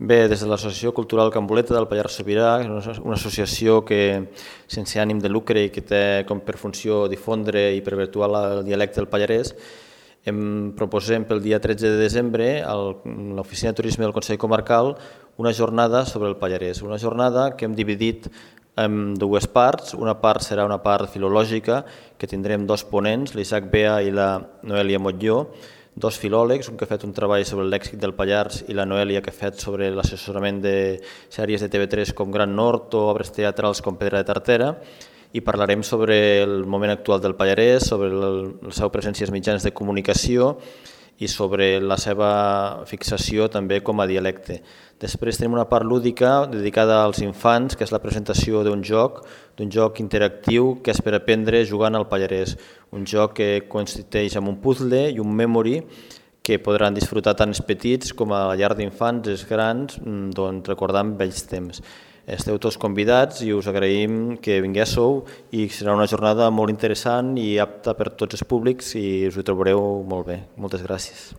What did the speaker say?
Bé, des de l'Associació Cultural Can Boleta del Pallars Sobirà, una associació que sense ànim de lucre i que té com per funció difondre i perpetuar el dialecte del pallarès, proposem pel dia 13 de desembre a l'Oficina de Turisme del Consell Comarcal una jornada sobre el pallarès, una jornada que hem dividit en dues parts. Una part serà una part filològica, que tindrem dos ponents, l'Isaac Bea i la Noèlia Motlló, dos filòlegs, un que ha fet un treball sobre el lèxic del Pallars i la Noèlia que ha fet sobre l'assessorament de sèries de TV3 com Gran Nord o obres teatrals com Pedra de Tartera, i parlarem sobre el moment actual del Pallarès, sobre la seva presència als mitjans de comunicació i sobre la seva fixació també com a dialecte. Després tenim una part lúdica dedicada als infants, que és la presentació d'un joc interactiu que és per aprendre jugant al Pallarès, un joc que consisteix en un puzzle i un memory que podran disfrutar tant els petits com a la llar d'infants, els grans, recordant vells temps. Esteu tots convidats i us agraïm que vinguéssiu i serà una jornada molt interessant i apta per tots els públics i us ho trobareu molt bé. Moltes gràcies.